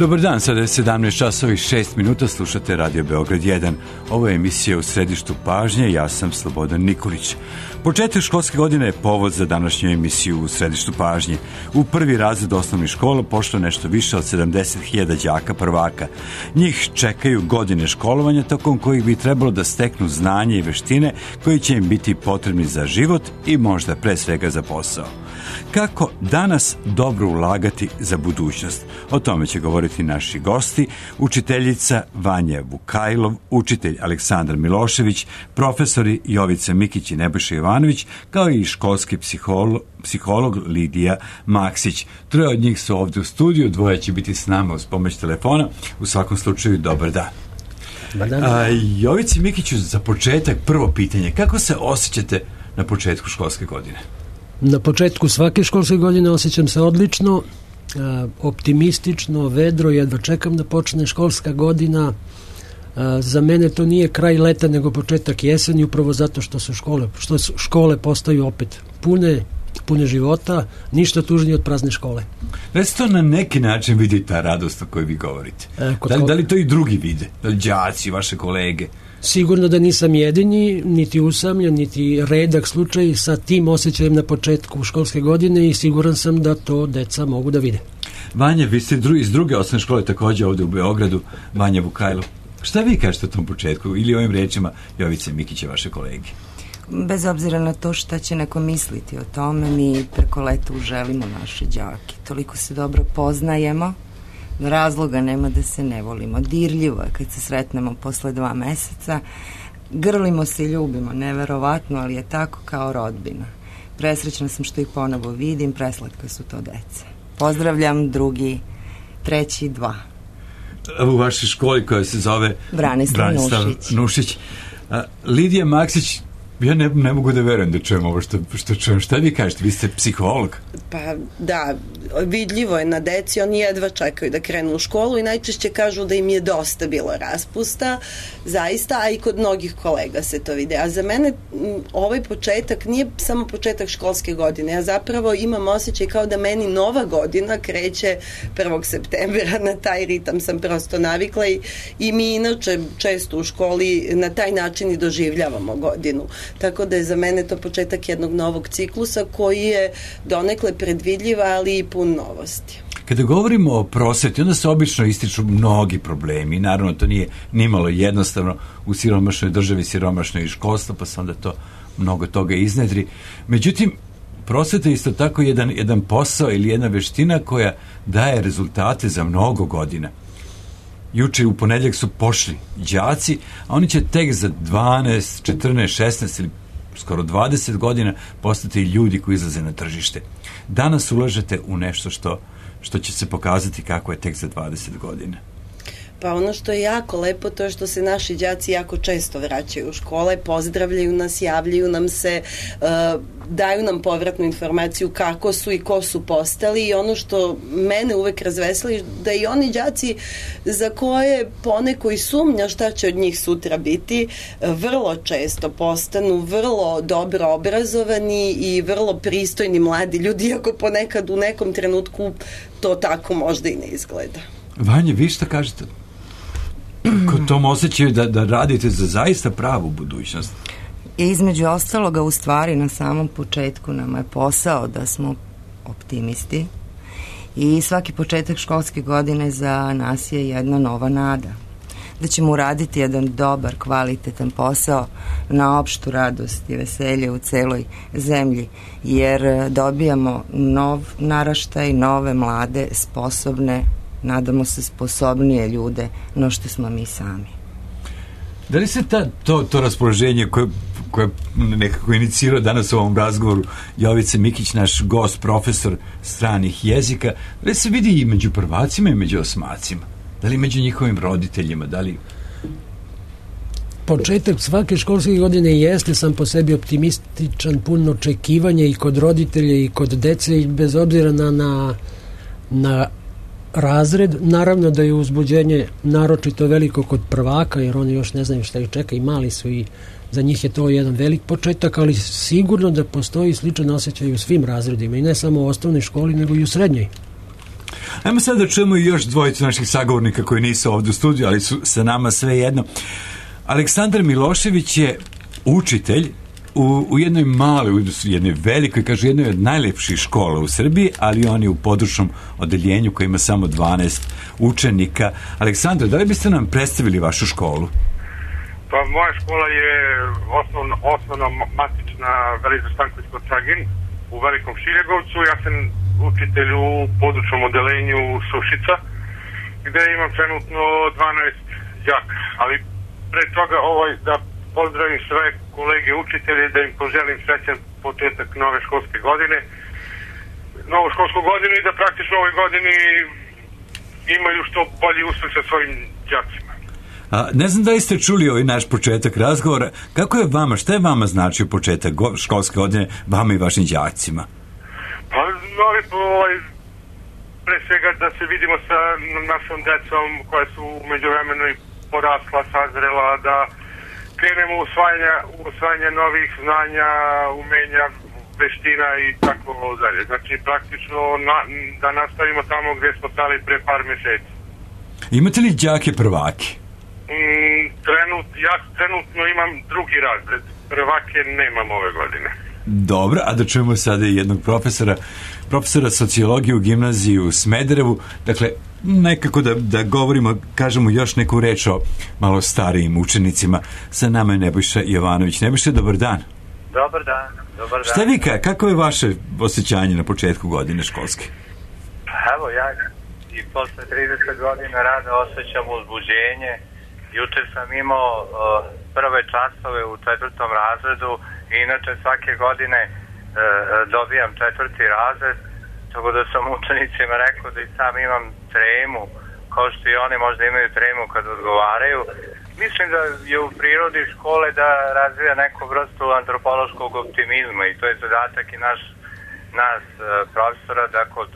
Dobar dan, sada je 17 časova i 6 minuta, slušate Radio Beograd 1. Ovo je emisija U središtu pažnje, ja sam Slobodan Nikolić. Početak školske godine je povod za današnju emisiju U središtu pažnje. U prvi razred osnovnih škola pošlo nešto više od 70.000 đaka prvaka. Njih čekaju godine školovanja tokom kojih bi trebalo da steknu znanje i veštine koji će im biti potrebni za život i možda pre svega za posao. Kako danas dobro ulagati za budućnost? O tome će govoriti naši gosti, učiteljica Vanja Vukajlov, učitelj Aleksandar Milošević, profesori Jovica Mikić i Nebojša Jovanović, kao i školski psiholog Lidija Maksić. Troje od njih su ovdje u studiju, dvoje će biti s nama uz pomoć telefona. U svakom slučaju, dobar dan. Jovici Mikiću, za početak prvo pitanje. Kako se osjećate na početku školske godine? Na početku svake školske godine osjećam se odlično, optimistično, vedro, jedva čekam da počne školska godina. Za mene to nije kraj leta nego početak jeseni, upravo zato što škole postaju opet pune života, ništa tužnije od prazne škole. Da se to na neki način vidi ta radost o kojoj vi govorite? Da li to i drugi vide? Da li đaci, vaše kolege? Sigurno da nisam jedini, niti usamljen, niti redak slučaj sa tim osjećajem na početku školske godine i siguran sam da to deca mogu da vide. Vanja, vi ste iz druge osnovne škole također ovdje u Beogradu, Vanja Vukajlov. Šta vi kažete o tom početku ili ovim rečima Jovice Mikića, vaše kolege? Bez obzira na to šta će neko misliti o tome, mi preko leta uželimo naše đake. Toliko se dobro poznajemo, razloga nema da se ne volimo. Dirljivo je kad se sretnemo posle 2 meseca, grlimo se i ljubimo, neverovatno, ali je tako kao rodbina. Presrećna sam što ih ponovo vidim, preslatka su to deca. Pozdravljam drugi, treći, 2. U vašoj školi koja se zove Branislav Nušić. Lidija Maksić, ja ne mogu da verujem da čujem ovo što čujem. Šta vi kažete? Vi ste psiholog. Pa da, vidljivo je na deci, oni jedva čekaju da krenu u školu i najčešće kažu da im je dosta bilo raspusta, zaista, a i kod mnogih kolega se to vide. A za mene ovaj početak nije samo početak školske godine, ja zapravo imam osjećaj kao da meni nova godina kreće 1. septembra, na taj ritam sam prosto navikla i mi inače često u školi na taj način i doživljavamo godinu. Tako da je za mene to početak jednog novog ciklusa koji je donekle predvidljiv, ali i pun novosti. Kada govorimo o prosveti, onda se obično ističu mnogi problemi. Naravno, to nije nimalo jednostavno u siromašnoj državi, siromašnoj i školstvo, pa se onda to mnogo toga iznedri. Međutim, prosveta je isto tako jedan posao ili jedna veština koja daje rezultate za mnogo godina. Juče u ponedjeljak su pošli đaci, a oni će tek za 12, 14, 16 ili skoro 20 godina postati ljudi koji izlaze na tržište. Danas ulažete u nešto što će se pokazati kako je tek za 20 godina. Pa ono što je jako lepo, to je što se naši đaci jako često vraćaju u škole, pozdravljaju nas, javljaju nam se, daju nam povratnu informaciju kako su i ko su postali i ono što mene uvek razveseli, da i oni đaci za koje poneko i sumnja šta će od njih sutra biti, vrlo često postanu vrlo dobro obrazovani i vrlo pristojni mladi ljudi, iako ponekad u nekom trenutku to tako možda i ne izgleda. Vanja, vi šta kažete? Kod tom osjećaju da radite za zaista pravu budućnost? Između ostaloga, u stvari, na samom početku nama je posao da smo optimisti i svaki početak školske godine za nas je jedna nova nada. Da ćemo uraditi jedan dobar, kvalitetan posao na opštu radost i veselje u celoj zemlji, jer dobijamo nov naraštaj, nove, mlade, sposobne, nadamo se sposobnije ljude no što smo mi sami. Da li se to raspoloženje koje nekako inicirao danas u ovom razgovoru Jovica Mikić, naš gost, profesor stranih jezika, da li se vidi i među prvacima i među osmacima? Da li među njihovim roditeljima? Da li... Početak svake školske godine jeste sam po sebi optimističan, puno očekivanja i kod roditelja i kod dece i bez obzira na razred. Naravno da je uzbuđenje naročito veliko kod prvaka, jer oni još ne znaju šta ih čeka i mali su i za njih je to jedan velik početak, ali sigurno da postoji sličan osjećaj u svim razredima i ne samo u osnovnoj školi, nego i u srednjoj. Ajmo sad da čujemo i još dvojicu naših sagovornika koji nisu ovdje u studiju, ali su sa nama sve jedno. Aleksandar Milošević je učitelj u jednoj maloj, u jednoj velikoj, kažu jednoj od najlepših škola u Srbiji, ali on je u područnom odeljenju koji ima samo 12 učenika. Aleksandar, da li biste nam predstavili vašu školu? Pa moja škola je osnovna matična Velizar Stanković kod Tragin u Velikom Šiljegovcu. Ja sam učitelj u područnom odeljenju Sušica, gde imam trenutno 12 đaka. Ali pre toga da pozdravim sve kolege učitelje, da im poželim srećan početak nove školske godine, novu školsku godinu i da praktično ovoj godini imaju što bolji uspeh sa svojim đacima. Ne znam da li ste čuli ovaj naš početak razgovora. Kako je vama, šta je vama značio početak školske godine vama i vašim đacima? Pa, pre svega da se vidimo sa našom decom koja su međuvremeno i porasla, sazrela, da krenemo u usvajanje novih znanja, umenja, veština i tako dalje. Znači, praktično da nastavimo tamo gdje smo stali pre par mjeseci. Imate li đake prvaki? Ja trenutno imam drugi razred. Prvake nemam ove godine. Dobro, a da čujemo sada i jednog profesora sociologije u gimnaziji u Smederevu. Dakle, nekako da govorimo, kažemo još neku reč o malo starijim učenicima. Sa nama je Nebojša Jovanović. Nebojša, dobar dan. Dobar dan. Šta vi kako je vaše osjećanje na početku godine školske? Evo, ja i posle 30 godina rada osjećam uzbuđenje. Juče sam imao prve časove u 4. razredu i inače svake godine dobijam 4. razred, tako da sam učenicima rekao da i sam imam tremu, kao što i oni možda imaju tremu kad odgovaraju. Mislim da je u prirodi škole da razvija neku vrstu antropološkog optimizma i to je zadatak i nas profesora da kod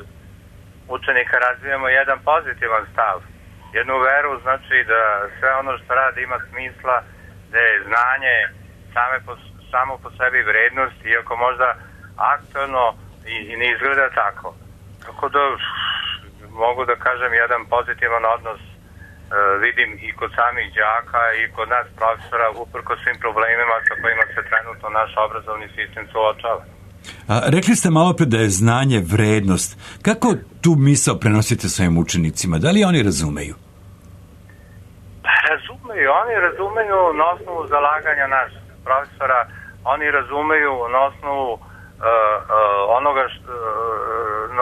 učenika razvijamo jedan pozitivan stav. Jednu veru, znači da sve ono što radi ima smisla, da je znanje samo po sebi vrednost, iako možda aktualno i ne izgleda tako. Tako da mogu da kažem jedan pozitivan odnos vidim i kod samih đaka i kod nas profesora uprko svim problemima sa kojima se trenutno naš obrazovni sistem suočava. Rekli ste malo pre da je znanje vrednost. Kako tu misao prenosite svojim učenicima? Da li oni razumeju? Oni razumeju na osnovu zalaganja naših profesora, oni razumeju na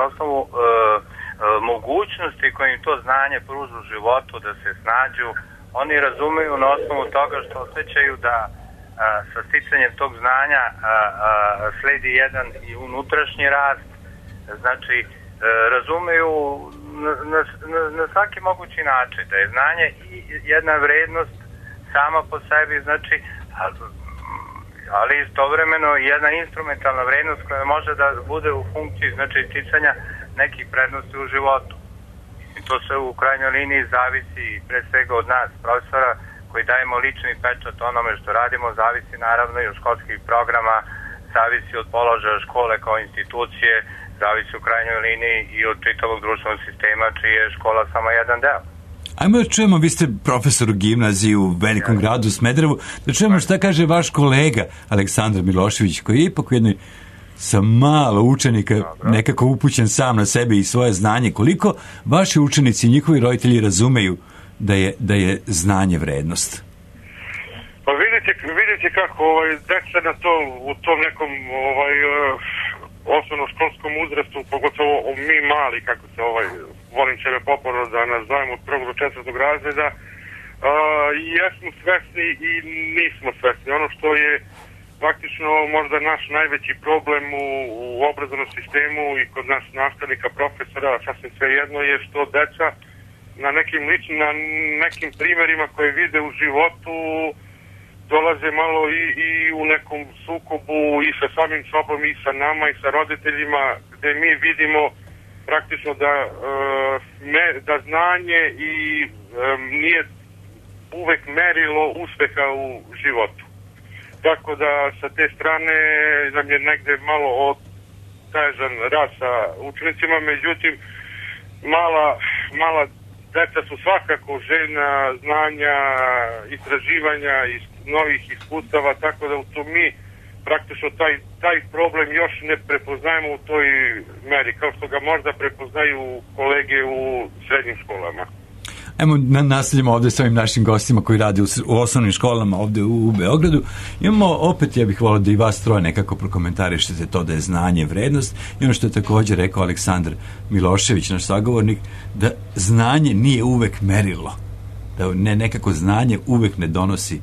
osnovu mogućnosti koje im to znanje pruža u životu da se snađu, oni razumeju na osnovu toga što osjećaju da sa sticanjem tog znanja sledi jedan i unutrašnji rast, znači razumeju na svaki mogući način da je znanje i jedna vrednost sama po sebi, znači, ali istovremeno jedna instrumentalna vrednost koja može da bude u funkciji, znači, sticanja nekih prednosti u životu. I to se u krajnjoj liniji zavisi pre svega od nas, profesora, koji dajemo lični pečat onome što radimo, zavisi naravno i od školskih programa, zavisi od položaja škole kao institucije, zavisi u krajnjoj liniji i od čitavog društvenog sistema, čiji je škola samo jedan deo. Ajmo da čujemo, vi ste profesor u gimnaziji u velikom gradu Smederevu, da čujemo šta kaže vaš kolega Aleksandar Milošević, koji je ipak u jednoj sa malo učenika nekako upućen sam na sebe i svoje znanje. Koliko vaši učenici i njihovi roditelji razumeju da je znanje vrednost? Pa vidite kako deca na to, u tom nekom osnovnoškolskom uzrastu, pogotovo mi mali, kako se volim sebe poporno da nazovemo od 1. do 4. razreda, jesmo svesni i nismo svesni. Ono što je praktično možda naš najveći problem u obrazovnom sistemu i kod nas nastavnika, profesora, sasvim svejedno je što deca na nekim primjerima koje vide u životu dolaze malo i u nekom sukobu i sa samim sobom i sa nama i sa roditeljima, gde mi vidimo praktično da znanje i nije uvek merilo uspeha u životu. Tako da sa te strane nam je negde malo otežan rad sa učenicima, međutim mala deca su svakako željna znanja, istraživanja i novih iskustava, tako da to mi praktično taj problem još ne prepoznajemo u toj meri, kao što ga možda prepoznaju kolege u srednjim školama. Ajmo nastavljamo ovde s ovim našim gostima koji rade u osnovnim školama ovde u Beogradu. Imamo opet, ja bih volio da i vas troje nekako prokomentarišete to da je znanje vrednost i ono što je također rekao Aleksandar Milošević, naš sagovornik, da znanje nije uvek merilo, da nekako znanje uvek ne donosi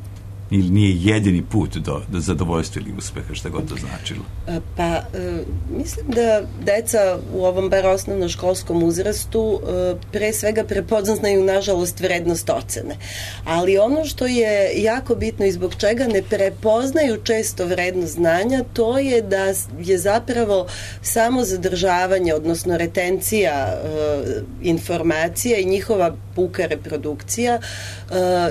ili nije jedini put do zadovoljstva ili uspeha, šta god to značilo? Pa, mislim da deca u ovom bar osnovnoškolskom uzrastu pre svega prepoznaju, nažalost, vrednost ocene. Ali ono što je jako bitno i zbog čega ne prepoznaju često vrednost znanja, to je da je zapravo samo zadržavanje, odnosno retencija informacija i njihova puka reprodukcija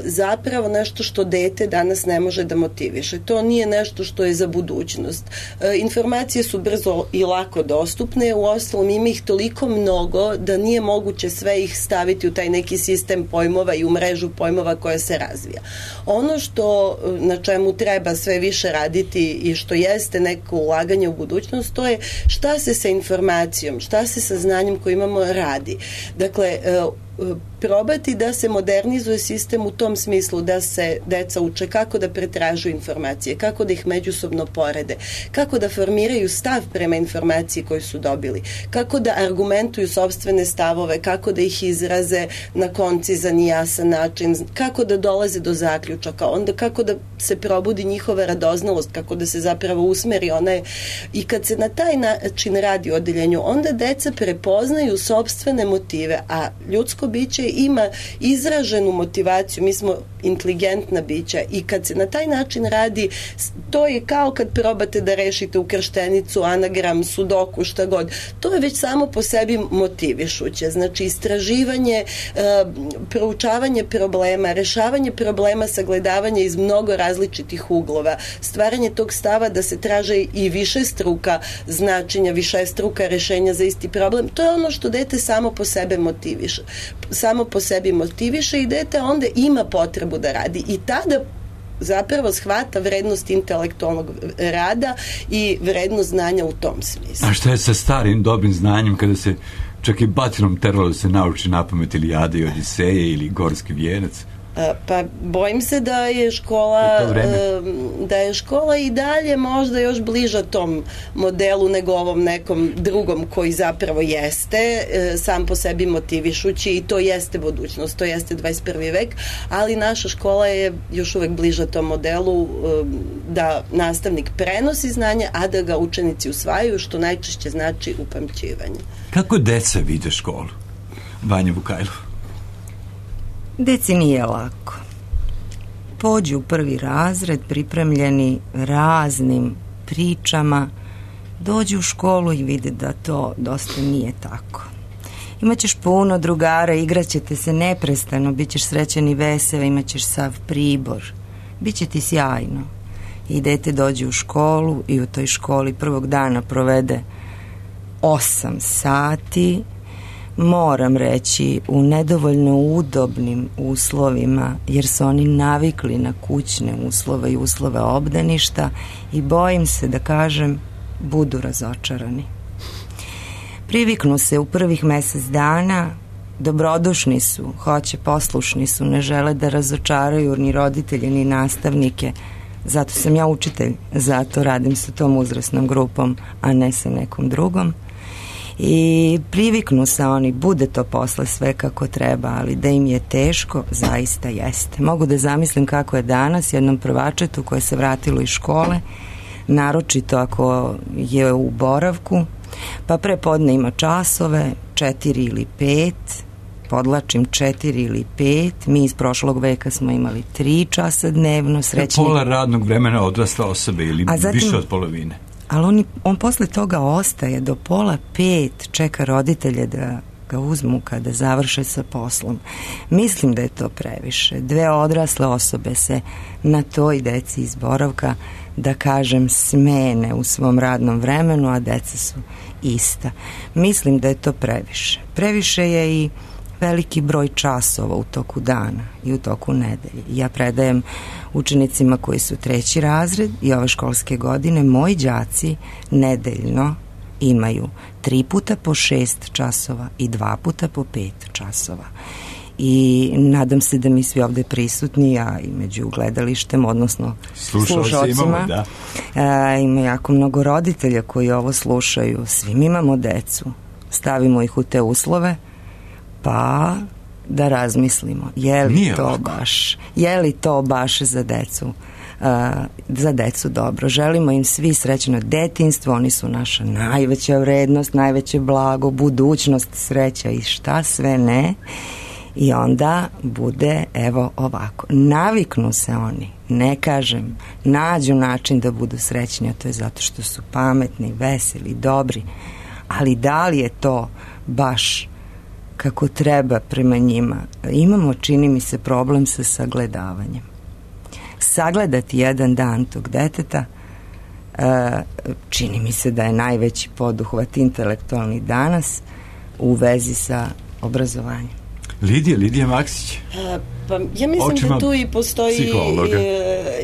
zapravo nešto što dete danas ne može da motiviše. To nije nešto što je za budućnost. Informacije su brzo i lako dostupne, uostalom ima ih toliko mnogo da nije moguće sve ih staviti u taj neki sistem pojmova i u mrežu pojmova koja se razvija. Ono što na čemu treba sve više raditi i što jeste neko ulaganje u budućnost, to je šta se sa informacijom, šta se sa znanjem koje imamo radi. Dakle, probati da se modernizuje sistem u tom smislu da se deca uče kako da pretražuju informacije, kako da ih međusobno porede, kako da formiraju stav prema informaciji koju su dobili, kako da argumentuju sopstvene stavove, kako da ih izraze na koncizan i jasan način, kako da dolaze do zaključaka, onda kako da se probudi njihova radoznalost, kako da se zapravo usmeri ona. I kad se na taj način radi u odeljenju, onda deca prepoznaju sopstvene motive, a ljudsko biće ima izraženu motivaciju, mi smo inteligentna bića i kad se na taj način radi, to je kao kad probate da rešite ukrštenicu, anagram, sudoku, šta god. To je već samo po sebi motivišuće. Znači, istraživanje, proučavanje problema, rešavanje problema, sagledavanje iz mnogo različitih uglova, stvaranje tog stava da se traže i više struka značenja, više struka rešenja za isti problem. To je ono što dete samo po sebi motiviše i dete onda ima potrebu da radi i tada zapravo shvata vrednost intelektualnog rada i vrednost znanja u tom smislu. A šta je sa starim dobrim znanjem kada se čak i batinom teralo da se nauči napamet Ilijade i Odiseje ili Gorski vijenac? Pa bojim se da je škola i dalje možda još bliža tom modelu nego ovom nekom drugom koji zapravo jeste sam po sebi motivišući i to jeste budućnost, to jeste 21. vek, ali naša škola je još uvek bliža tom modelu da nastavnik prenosi znanje, a da ga učenici usvajaju, što najčešće znači upamćivanje. Kako deca vide školu? Vanja Vukajlov. Deci nije lako. Pođu u prvi razred pripremljeni raznim pričama, dođu u školu i vide da to dosta nije tako. Imaćeš puno drugara, igraćete se neprestano, bit ćeš srećan i vesel, imaćeš sav pribor, bit će ti sjajno. I dete dođe u školu i u toj školi prvog dana provede 8 sati, moram reći, u nedovoljno udobnim uslovima, jer su oni navikli na kućne uslove i uslove obdaništa i bojim se da kažem, budu razočarani. Priviknu se u prvih mesec dana, dobrodušni su, hoće, poslušni su, ne žele da razočaraju ni roditelje, ni nastavnike. Zato sam ja učitelj, zato radim sa tom uzrasnom grupom, a ne sa nekom drugom. I priviknu se oni, bude to posle sve kako treba, ali da im je teško, zaista jeste. Mogu da zamislim kako je danas jednom prvačetu koje se vratilo iz škole, naročito ako je u boravku, pa prepodne ima časove, 4 ili 5, podlačim 4 ili 5, mi iz prošlog veka smo imali 3 časa dnevno. Srećni... Pola radnog vremena odrasla osobe ili zatim, više od polovine. Ali on posle toga ostaje do 4:30, čeka roditelje da ga uzmu kada završe sa poslom. Mislim da je to previše. 2 odrasle osobe se na toj deci iz boravka, da kažem, smene u svom radnom vremenu, a deca su ista. Mislim da je to previše. Previše je i veliki broj časova u toku dana i u toku nedelje. Ja predajem učenicima koji su 3. razred i ove školske godine. Moji đaci nedeljno imaju 3 puta po 6 časova i 2 puta po 5 časova. I nadam se da mi svi ovde prisutni, a i među gledalištem, odnosno slušalcima, ima jako mnogo roditelja koji ovo slušaju. Svi mi imamo decu. Stavimo ih u te uslove, pa da razmislimo, je li to baš za decu dobro. Želimo im svi srećno detinjstvo, oni su naša najveća vrednost, najveće blago, budućnost, sreća i šta sve ne. I onda bude, evo ovako, naviknu se oni, ne kažem, nađu način da budu srećni, a to je zato što su pametni, veseli, dobri, ali da li je to baš kako treba prema njima? Imamo, čini mi se, problem sa sagledavanjem. Sagledati jedan dan tog deteta, čini mi se da je najveći poduhvat intelektualni danas u vezi sa obrazovanjem. Lidija Maksić. Pa ja mislim da tu i postoji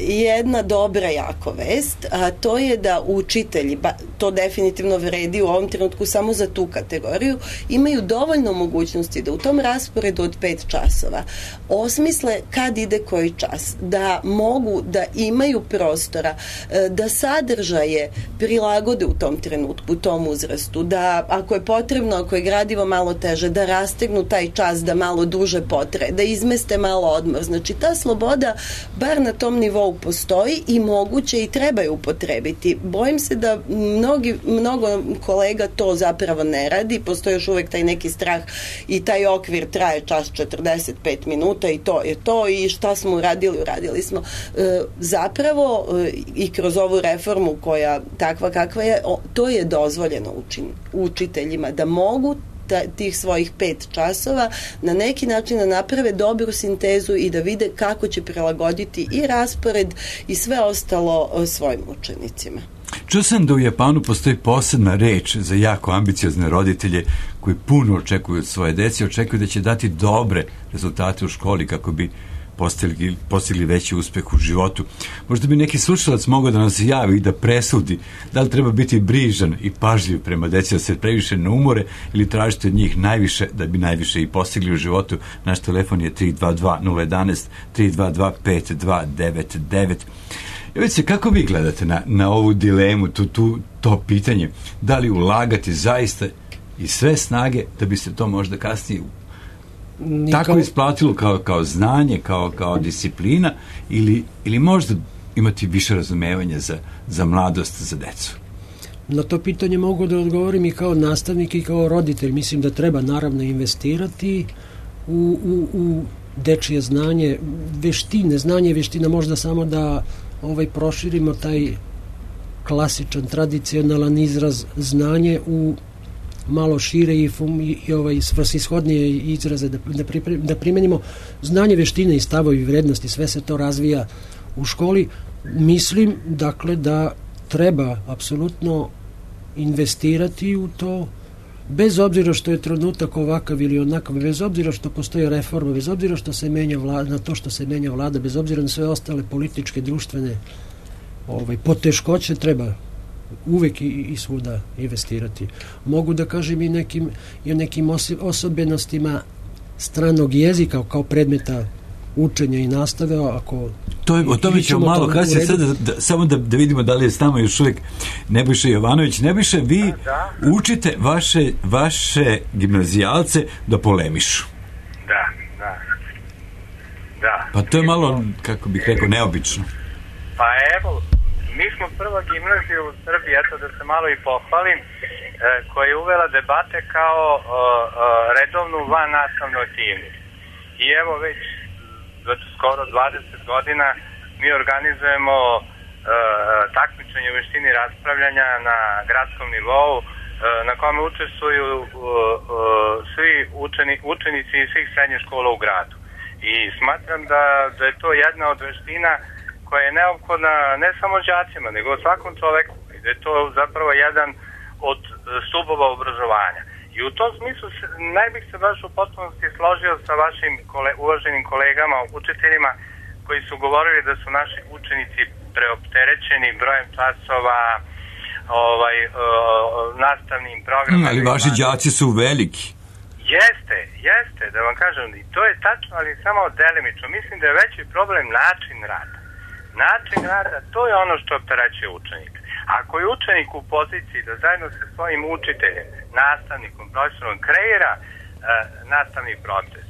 jedna dobra jako vest, a to je da učitelji, to definitivno vredi u ovom trenutku samo za tu kategoriju, imaju dovoljno mogućnosti da u tom rasporedu od 5 časova osmisle kad ide koji čas, da mogu da imaju prostora, da sadržaje prilagode u tom trenutku, u tom uzrastu, da ako je potrebno, ako je gradivo malo teže, da rastegnu taj čas, da malo duže potraje, da izmeste malo odmor. Znači, ta sloboda bar na tom nivou postoji i moguće i treba je upotrebiti. Bojim se da mnogo kolega to zapravo ne radi. Postoji još uvek taj neki strah i taj okvir traje čas 45 minuta i to je to i šta smo uradili smo. Zapravo i kroz ovu reformu koja takva kakva je, to je dozvoljeno učiteljima da mogu tih svojih 5 časova na neki način da naprave dobru sintezu i da vide kako će prilagoditi i raspored i sve ostalo svojim učenicima. Čuo sam da u Japanu postoji posebna reč za jako ambiciozne roditelje koji puno očekuju od svoje dece, očekuju da će dati dobre rezultate u školi kako bi postigli veći uspeh u životu. Možda bi neki slušalac mogao da nam se javi i da presudi da li treba biti brižan i pažljiv prema deci, da se previše ne umore ili tražiti od njih najviše da bi najviše i postigli u životu. Naš telefon je 322-011 322-5299. Jovice, kako vi gledate na ovu dilemu, to pitanje, da li ulagati zaista i sve snage da bi se to možda kasnije tako isplatilo kao znanje, kao disciplina ili možda imati više razumevanja za mladost, za decu? Na to pitanje mogu da odgovorim i kao nastavnik i kao roditelj. Mislim da treba naravno investirati u dečije znanje, veštine, znanje i veština, možda samo da proširimo taj klasičan, tradicionalan izraz znanje u malo šire i svrsishodnije izraze da primenimo. Znanje, veštine i stavovi i vrednosti, sve se to razvija u školi. Mislim, dakle, da treba apsolutno investirati u to, bez obzira što je trenutak ovakav ili onakav, bez obzira što postoje reforma, bez obzira što se menja vlada, na to što se menja vlada, bez obzira na sve ostale političke, društvene poteškoće, treba uvek i svuda investirati. Mogu da kažem i o nekim osobenostima stranog jezika kao predmeta učenja i nastave. O tome ćemo malo kasnije, samo da vidimo da li je s nama još uvijek Nebojša Jovanović. Nebojša, vi učite vaše gimnazijalce da polemišu. Da. Pa to je malo, kako bih rekao, neobično. Pa evo, mi smo prva gimnazija u Srbiji, eto da se malo i pohvalim, koja je uvela debate kao redovnu van nastavnu aktivnost. I evo već skoro 20 godina mi organizujemo takmičenje u veštini raspravljanja na gradskom nivou na kome učestvuju svi učenici iz svih srednjih škola u gradu. I smatram da je to jedna od veština koja je neophodna ne samo đacima, nego svakom čoveku. Da je to zapravo jedan od stubova obrazovanja. I u tom smislu ne bih se baš u potpunosti složio sa vašim uvaženim kolegama, učiteljima, koji su govorili da su naši učenici preopterećeni brojem časova, nastavnim programima. Ali vaši đaci su veliki. Jeste, da vam kažem, i to je tačno, ali samo delimično. Mislim da je veći problem način rada. Način rada, to je ono što opterećuje učenika. Ako je učenik u poziciji da zajedno sa svojim učiteljem, nastavnikom, profesorom kreira nastavni proces,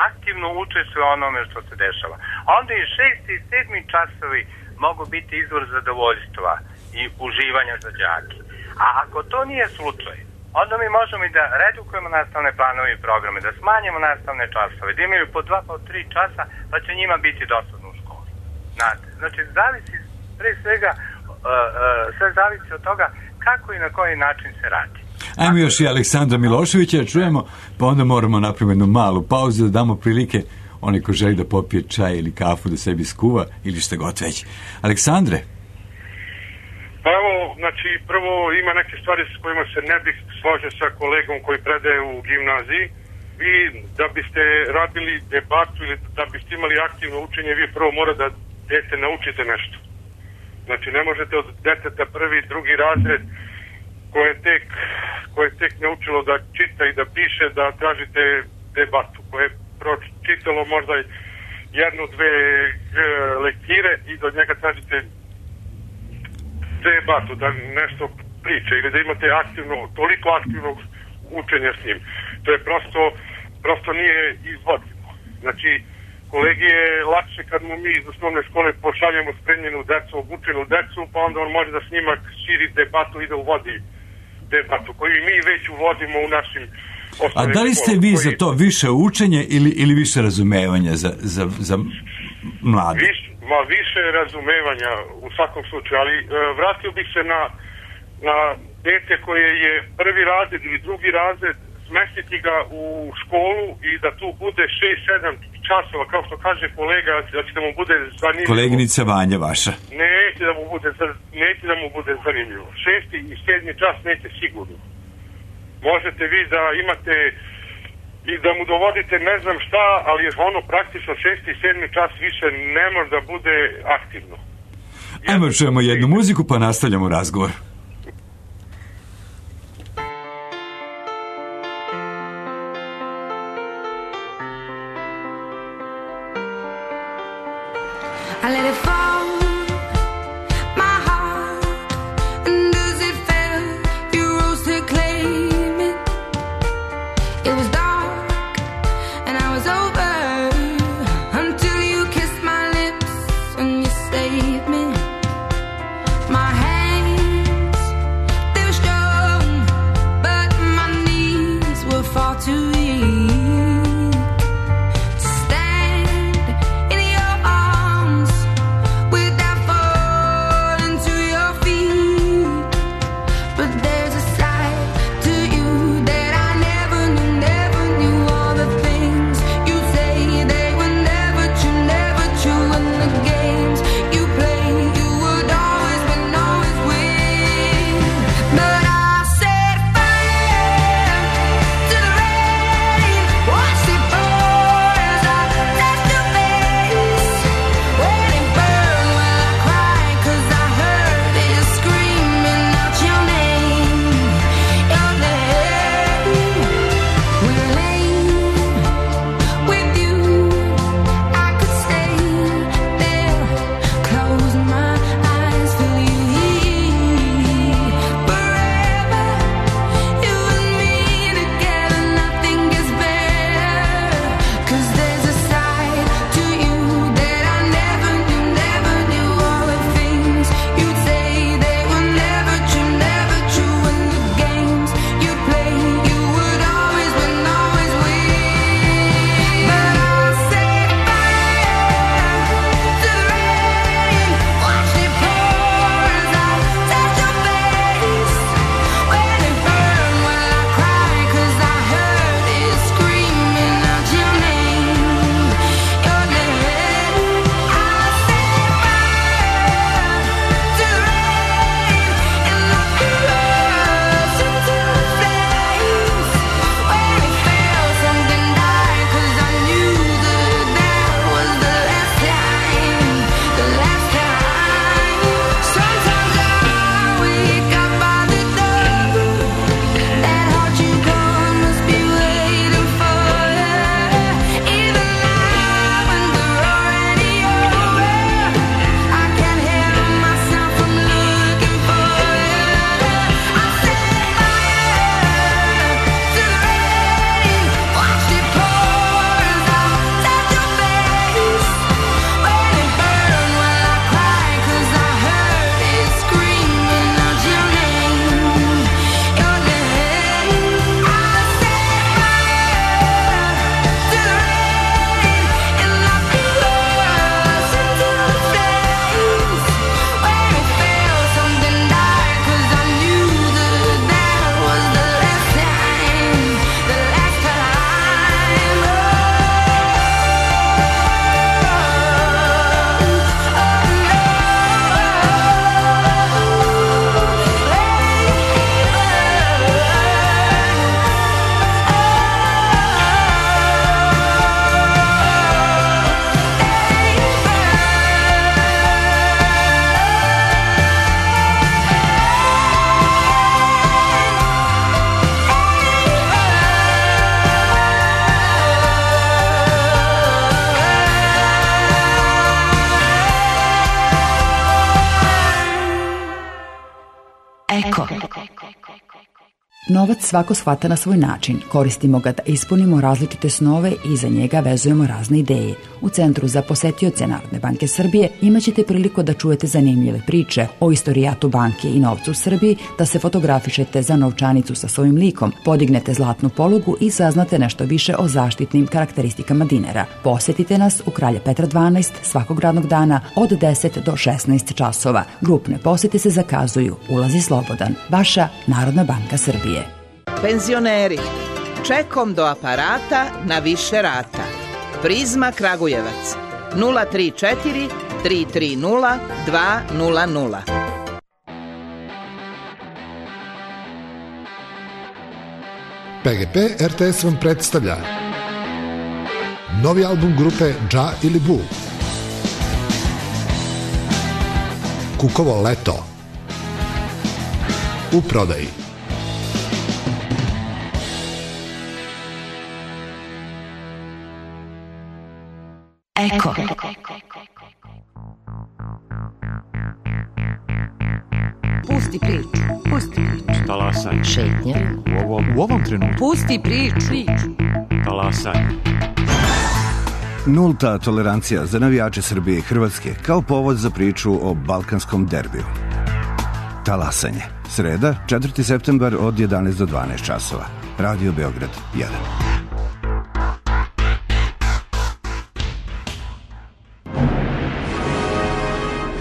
aktivno učestvuje onome što se dešava, onda i 6. i 7. časovi mogu biti izvor zadovoljstva i uživanja za đake. A ako to nije slučaj, onda mi možemo i da redukujemo nastavne planove i programe, da smanjimo nastavne časove, da imaju po 2, po 3 časa, pa će njima biti dosadno u školi. Znači, zavisi pre svega, sve zavisi od toga kako i na koji način se radi. Ajmo još i Aleksandra Miloševića čujemo, pa onda moramo napraviti jednu malu pauzu da damo prilike onaj ko želi da popije čaj ili kafu da sebi skuva ili šta god već. Aleksandre? Pa evo, znači, prvo ima neke stvari s kojima se ne bih složio sa kolegom koji predaje u gimnaziji. Vi, da biste radili debatu ili da biste imali aktivno učenje, vi prvo mora da dete naučite nešto. Znači, ne možete od deteta prvi, drugi razred koje je tek naučilo da čita i da piše, da tražite debatu, koje je pročitalo možda 1-2 lektire i do njega tražite debatu, da nešto priče ili da imate toliko aktivnog učenja s njim. To je prosto nije izvodljivo. Znači, kolegi je lakše kad mu mi iz osnovne škole pošaljemo spremljenu decu, obučenu decu, pa onda on može da s njima širi debatu i da uvodi debatu, koju mi već uvodimo u našim osnovnim. A da li ste vi za to više učenje ili više razumevanja za mlade? Više razumevanja u svakom slučaju, ali vratio bih se na dete koje je prvi razred ili drugi razred, smestiti ga u školu i da tu bude 6-7 časova, kao što kaže kolega, da će da mu bude zanimljivo. Koleginica Vanja vaša. Neće da mu bude zanimljivo. 6. i 7. čas neće sigurno. Možete vi da imate i da mu dovodite ne znam šta, ali ono praktično 6. i 7. čas više ne može da bude aktivno. Ajmo čujemo jednu muziku pa nastavljamo razgovor. I let it fall, my heart, and as it fell, you rose to claim it. It was dark, and I was over, until you kissed my lips and you saved me. My hands, they were strong, but my knees were far too weak. Novac svako shvata na svoj način. Koristimo ga da ispunimo različite snove i za njega vezujemo razne ideje. U Centru za posetioce Narodne banke Srbije imaćete priliku da čujete zanimljive priče o istorijatu banke i novcu u Srbiji, da se fotografišete za novčanicu sa svojim likom, podignete zlatnu polugu i saznate nešto više o zaštitnim karakteristikama dinara. Posetite nas u Kralja Petra 12 svakog radnog dana od 10 do 16 časova. Grupne posete se zakazuju. Ulaz je slobodan. Vaša Narodna banka Srbije. Penzioneri, čekom do aparata na više rata. Prizma Kragujevac 034 330 200. PGP RTS vam predstavlja novi album grupe Dža ili Bu. Kukovo leto. U prodaji. Eko. Pusti priču. Pusti priču. Talasaj. Šetnja. U ovom trenutku. Pusti priču. Talasaj. Nulta tolerancija za navijače Srbije i Hrvatske kao povod za priču o balkanskom derbiju. Talasanje. Sreda, 4. septembar od 11 do 12 časova. Radio Beograd 1.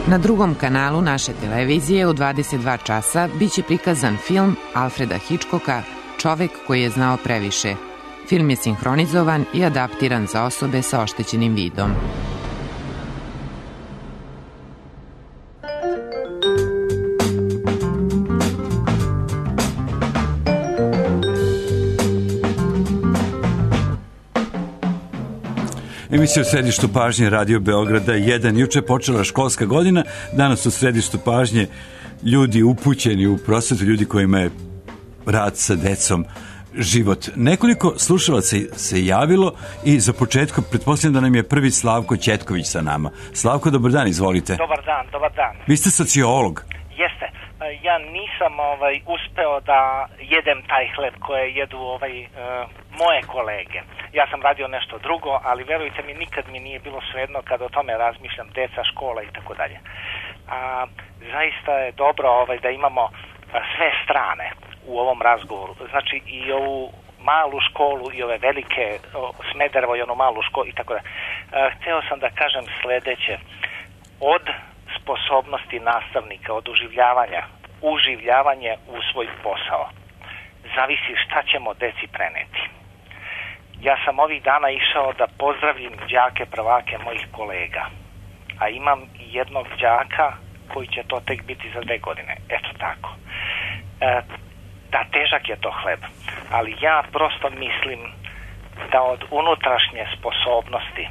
Na drugom kanalu naše televizije u 22 časa biće prikazan film Alfreda Hitchcocka Čovek koji je znao previše. Film je sinhronizovan i adaptiran za osobe sa oštećenim vidom. Emisija u središtu pažnje Radio Beograda 1. Juče je počela školska godina, danas u središtu pažnje ljudi upućeni u prosvetu, ljudi kojima je rad sa decom život. Nekoliko slušalaca se javilo i za početku pretpostavljam da nam je prvi Slavko Ćetković sa nama. Slavko, dobar dan, izvolite. Dobar dan. Vi ste sociolog. Jeste. Ja nisam uspeo da jedem taj hleb koje jedu moje kolege. Ja sam radio nešto drugo, ali verujte mi, nikad mi nije bilo svejedno kad o tome razmišljam, deca, škola i tako dalje. Zaista je dobro da imamo sve strane u ovom razgovoru. Znači i ovu malu školu i ove velike, Smederevo i onu malu školu i tako dalje. Hteo sam da kažem sledeće. Od sposobnosti nastavnika, od uživljavanje u svoj posao, zavisi šta ćemo deci preneti. Ja sam ovih dana išao da pozdravim đake prvake mojih kolega, a imam i jednog đaka koji će to tek biti za 2 godine. Eto tako. Da, težak je to hleb, ali ja prosto mislim da od unutrašnje sposobnosti,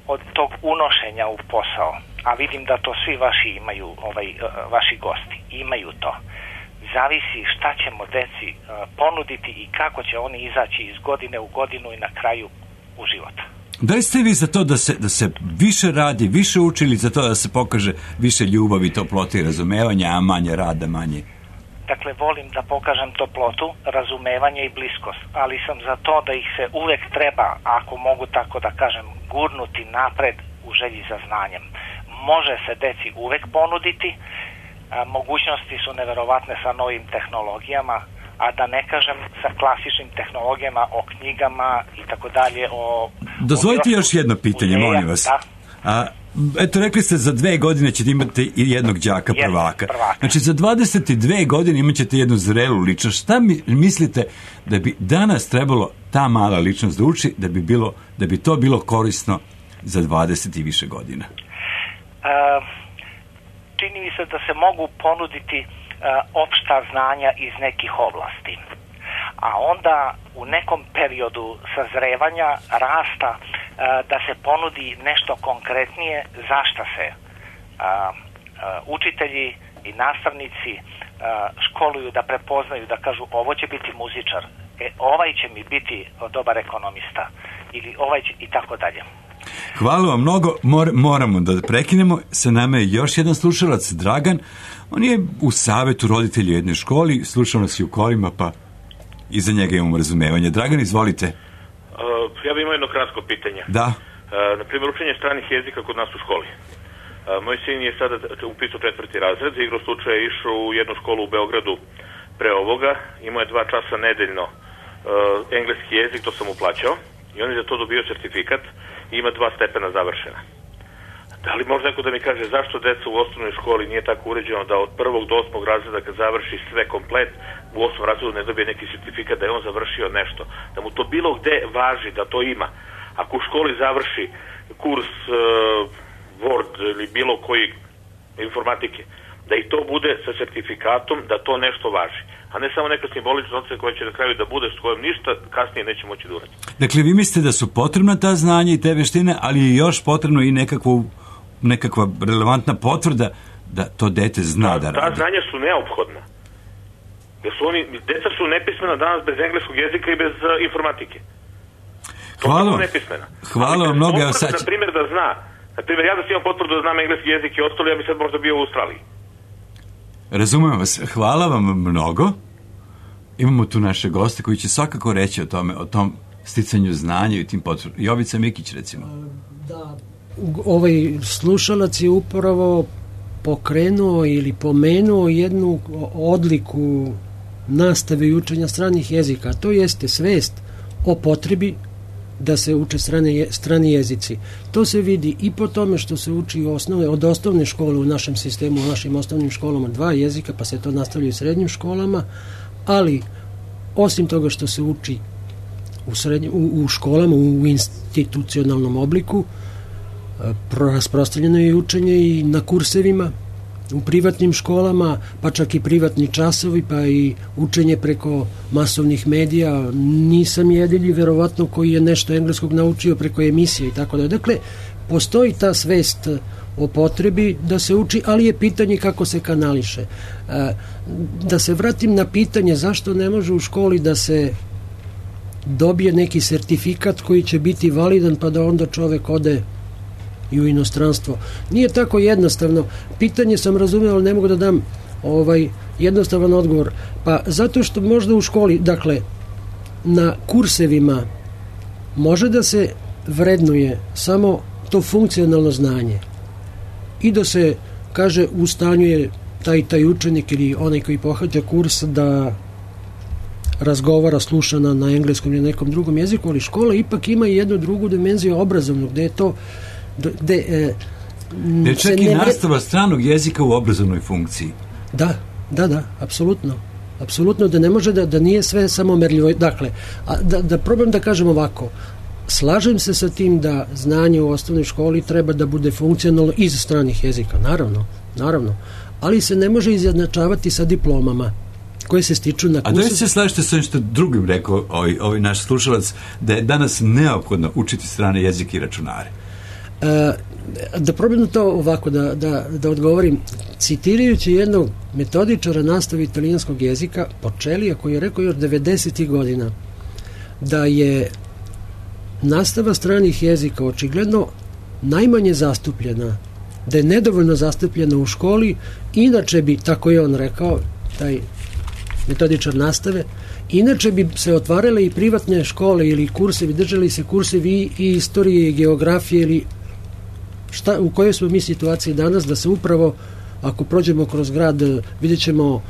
od tog unošenja u posao, a vidim da to svi vaši imaju, vaši gosti imaju to, zavisi šta ćemo deci ponuditi i kako će oni izaći iz godine u godinu i na kraju u život. Da li ste vi za to da se više radi, više uči, ili za to da se pokaže više ljubavi, toplote i razumevanja, a manje rada, manje? Dakle, volim da pokažem toplotu, razumevanje i bliskost, ali sam za to da ih se uvek treba, ako mogu tako da kažem, gurnuti napred u želji za znanjem. Može se deci uvek ponuditi, mogućnosti su neverovatne sa novim tehnologijama, a da ne kažem sa klasičnim tehnologijama, o knjigama i tako dalje. Dozvolite još jedno pitanje, molim vas. Da. Eto, rekli ste za 2 godine ćete imati i jednog đaka prvaka. Znači, za 22 godine imat ćete jednu zrelu ličnost. Šta mislite da bi danas trebalo ta mala ličnost da uči, da bi to bilo korisno za 20 i više godina? Čini mi se da se mogu ponuditi opšta znanja iz nekih oblasti. A onda u nekom periodu sazrevanja, rasta, da se ponudi nešto konkretnije za šta se učitelji i nastavnici školuju da prepoznaju, da kažu ovo će biti muzičar, ovaj će mi biti dobar ekonomista ili ovaj će i tako dalje. Hvala vam mnogo, moramo da prekinemo. Sa nama je još jedan slušalac, Dragan. On je u savetu roditelja u jednoj školi, slušao nas i u kolima, pa i za njega imamo razumevanje. Dragan, izvolite. Ja bih imao jedno kratko pitanje. Da. Na primjer, učenje stranih jezika kod nas u školi. Moj sin je sada upisao 4. razred, za igru slučaja je išao u jednu školu u Beogradu pre ovoga, imao je 2 časa nedeljno engleski jezik, to sam mu plaćao, i on je za to dobio certifikat i ima 2 stepena završena. Da li može neko da mi kaže zašto deca u osnovnoj školi nije tako uređeno da od 1. do 8. razreda kad završi sve komplet, u 8. razredu ne dobije neki certifikat da je on završio nešto, da mu to bilo gde važi, da to ima. Ako u školi završi kurs Word ili bilo koji informatike, da i to bude sa certifikatom, da to nešto važi. A ne samo neka simbolična ocena koja će na kraju da bude s kojom ništa kasnije neće moći da uradi. Dakle, vi mislite da su potrebna ta znanja i te veštine, ali je još potrebno i nekakva relevantna potvrda da to dete zna da radi. Ta znanja su neophodna. Jer su deca su nepismena danas bez engleskog jezika i bez informatike. Hvala vam mnogo. Na primjer da zna, ja da sam imao potvrdu da znam engleski jezik i ostalo, ja bi sad možda bio u Australiji. Razumem vas. Hvala vam mnogo. Imamo tu naše goste koji će svakako reći o tom sticanju znanja i tim potvrdama. Jovica Mikić, recimo. Da, ovaj slušalac je upravo pokrenuo ili pomenuo jednu odliku nastave i učenja stranih jezika. To jeste svest o potrebi da se uče strani jezici. To se vidi i po tome što se uči od osnovne škole u našem sistemu, u našim osnovnim školama 2 jezika, pa se to nastavlja u srednjim školama, ali osim toga što se uči u školama, u institucionalnom obliku, rasprostranjeno je učenje i na kursevima, u privatnim školama, pa čak i privatni časovi, pa i učenje preko masovnih medija. Nisam jedini, verovatno, koji je nešto engleskog naučio preko emisije i tako da. Dakle, postoji ta svest o potrebi da se uči, ali je pitanje kako se kanališe. Da se vratim na pitanje zašto ne može u školi da se dobije neki sertifikat koji će biti validan, pa da onda čovek ode i u inostranstvo. Nije tako jednostavno. Pitanje sam razumio, ali ne mogu da dam jednostavan odgovor. Pa zato što možda u školi, dakle, na kursevima može da se vrednuje samo to funkcionalno znanje i da se kaže u stanju je taj učenik ili onaj koji pohađa kurs da razgovara, sluša na engleskom ili nekom drugom jeziku, ali škola ipak ima i jednu drugu dimenziju obrazovnog, gde je to gde čak i nastava stranog jezika u obrazovnoj funkciji. Da, apsolutno da ne može da nije sve samo merljivo. Dakle, da probam da kažem ovako, slažem se sa tim da znanje u osnovnoj školi treba da bude funkcionalno iz stranih jezika, naravno, ali se ne može izjednačavati sa diplomama koje se stiču na kursu. A da li se slažete sa što drugim rekao ovaj naš slušalac, da je danas neophodno učiti strane jezike i računare? Da probam to ovako da odgovorim, citirajući jednog metodičara nastave italijanskog jezika, Počelija, koji je rekao još 90. godina da je nastava stranih jezika očigledno najmanje zastupljena, da je nedovoljno zastupljena u školi, inače bi, tako je on rekao, taj metodičar nastave, inače bi se otvarale i privatne škole ili kursevi, držali se kursevi i istorije i geografije ili u kojoj smo mi situaciji danas, da se upravo, ako prođemo kroz grad, vidjet ćemo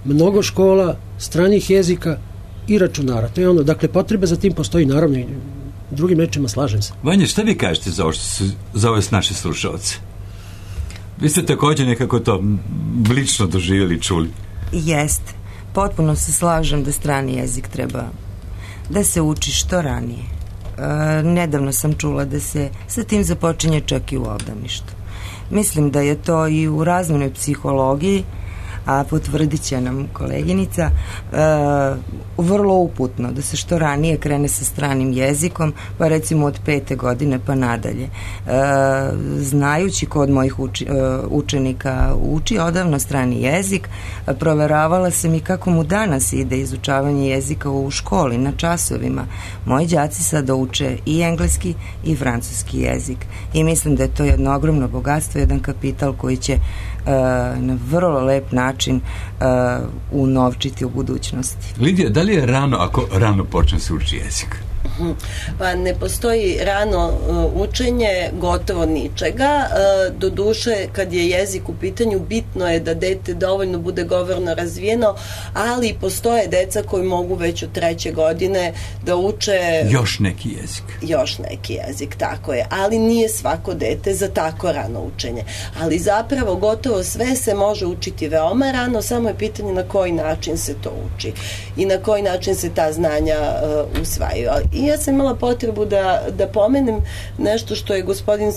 mnogo škola, stranih jezika i računara. To je ono, dakle, potreba za tim postoji, naravno, i drugim rečima slažem se. Vanja, šta vi kažete za ove naše slušalce? Vi ste također nekako to lično doživjeli, čuli. Jeste. Potpuno se slažem da strani jezik treba da se uči što ranije. Nedavno sam čula da se sa tim započinje čak i u obdaništu. Mislim da je to i u razvojnoj psihologiji, a potvrdit će nam koleginica, vrlo uputno da se što ranije krene sa stranim jezikom, pa recimo od 5. godine pa nadalje. Znajući ko od mojih učenika uči odavno strani jezik, proveravala sam i kako mu danas ide izučavanje jezika u školi, na časovima. Moji đaci sada uče i engleski i francuski jezik i mislim da je to jedno ogromno bogatstvo, jedan kapital koji će na vrlo lep način unovčiti u budućnosti. Lidija, da li je rano ako rano počne se uči jezik? Pa ne postoji rano učenje gotovo ničega. Doduše, kad je jezik u pitanju, bitno je da dete dovoljno bude govorno razvijeno, ali postoje deca koji mogu već od 3. godine da uče još neki jezik. Još neki jezik, tako je. Ali nije svako dete za tako rano učenje. Ali zapravo gotovo sve se može učiti veoma rano, samo je pitanje na koji način se to uči i na koji način se ta znanja usvajaju. I ja sam imala potrebu da pomenem nešto što je gospodin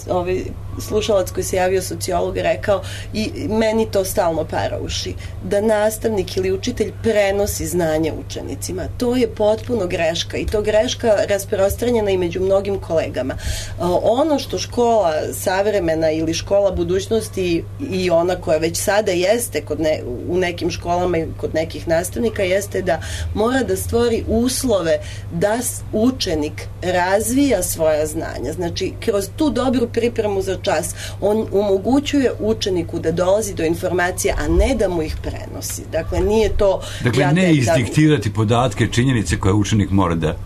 slušalac koji se javio, sociolog, rekao i meni to stalno para uši, da nastavnik ili učitelj prenosi znanje učenicima. To je potpuno greška i to greška rasprostranjena i među mnogim kolegama. Ono što škola savremena ili škola budućnosti i ona koja već sada jeste u nekim školama i kod nekih nastavnika jeste da mora da stvori uslove da učenik razvija svoja znanja. Znači, kroz tu dobru pripremu za čas on omogućuje učeniku da dolazi do informacija, a ne da mu ih prenosi. Dakle, nije to... Dakle, ne izdiktirati podatke, činjenice koje učenik mora da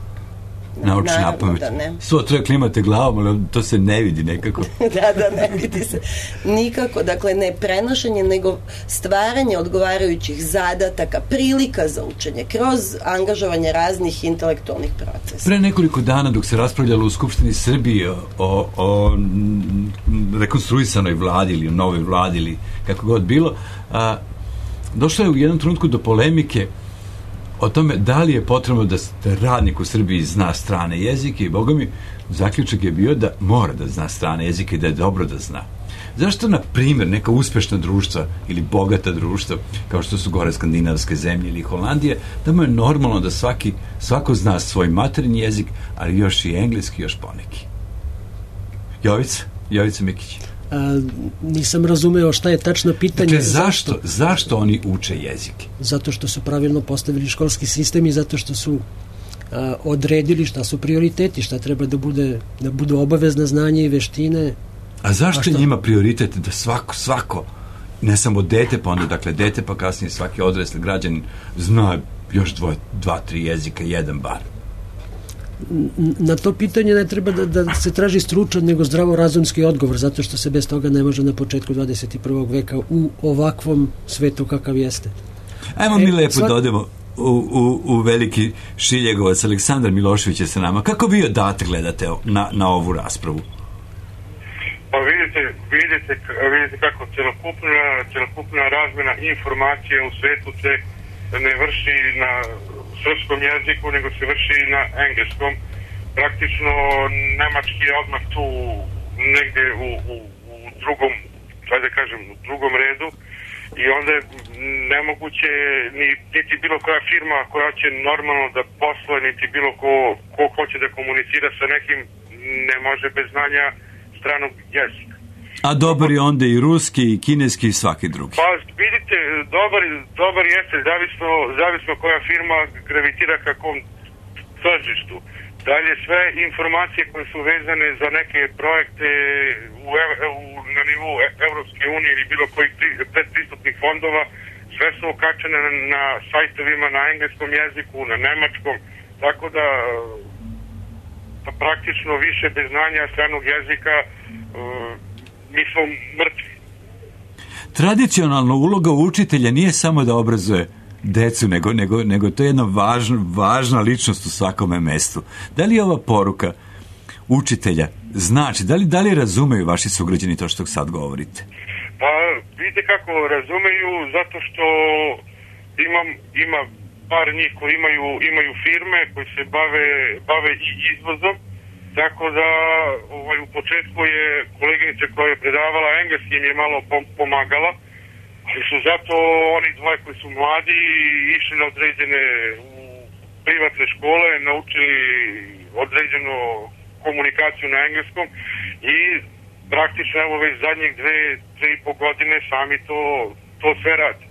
nauči napamet. Svo treba klimate glavom, ali to se ne vidi nekako. Da, ne vidi se nikako. Dakle, ne prenošenje, nego stvaranje odgovarajućih zadataka, prilika za učenje, kroz angažovanje raznih intelektualnih procesa. Pre nekoliko dana, dok se raspravljalo u Skupštini Srbije o rekonstruisanoj vladi ili o novoj vladi ili kako god bilo, došlo je u jednom trenutku do polemike o tome da li je potrebno da radnik u Srbiji zna strane jezike i boga mi, zaključak je bio da mora da zna strane jezike i da je dobro da zna. Zašto, na primjer, neka uspešna društva ili bogata društva, kao što su gore skandinavske zemlje ili Holandije, da mu je normalno da svako zna svoj materinji jezik, ali još i engleski, još poneki. Jovica Mikić. Nisam razumeo šta je tačno pitanje. Dakle, zašto oni uče jezike? Zato što su pravilno postavili školski sistem i zato što su odredili šta su prioriteti, šta treba da budu obavezna znanja i veštine. A zašto je njima prioritet da svako, ne samo dete, pa onda dakle dete, pa kasnije svaki odrasli građanin zna još 2-3 jezika, jedan bar? Na to pitanje ne treba da se traži stručan, nego zdravorazumski odgovor, zato što se bez toga ne može na početku 21. veka u ovakvom svetu kakav jeste. Ajmo mi lepo da odemo u veliki Šiljegovac. Aleksandar Milošević je sa nama. Kako vi odatle gledate na ovu raspravu? Pa vidite kako celokupna razmena informacija u svetu se ne vrši na srpskom jeziku, nego se vrši na engleskom. Praktično nemački je odmah tu negde u drugom, u drugom redu i onda je nemoguće niti bilo koja firma koja će normalno da posluje, niti bilo ko hoće da komunicira sa nekim, ne može bez znanja stranog jezika. A dobar je onda i ruski, i kineski, i svaki drugi. Pa vidite, dobar jeste, zavisno koja firma gravitira kakvom tržištu. Dalje, sve informacije koje su vezane za neke projekte na nivou Evropske unije ili bilo kojih predpristupnih fondova, sve su okačene na sajtovima na engleskom jeziku, na nemačkom, tako da praktično više bez znanja stranog jezika mi smo mrtvi. Tradicionalna uloga učitelja nije samo da obrazuje decu, nego to je jedna važna ličnost u svakome mestu. Da li je ova poruka učitelja znači, da li razumeju vaši sugrađani to što sad govorite? Pa vidite kako razumeju, zato što ima par njih koji imaju firme koji se bave i izvozom. Tako da u početku je koleginica koja je predavala engleski im je malo pomagala, ali su zato oni dvoje koji su mladi išli na određene privatne škole, naučili određenu komunikaciju na engleskom i praktično evo već zadnjih 2-3,5 godine sami to sve radi.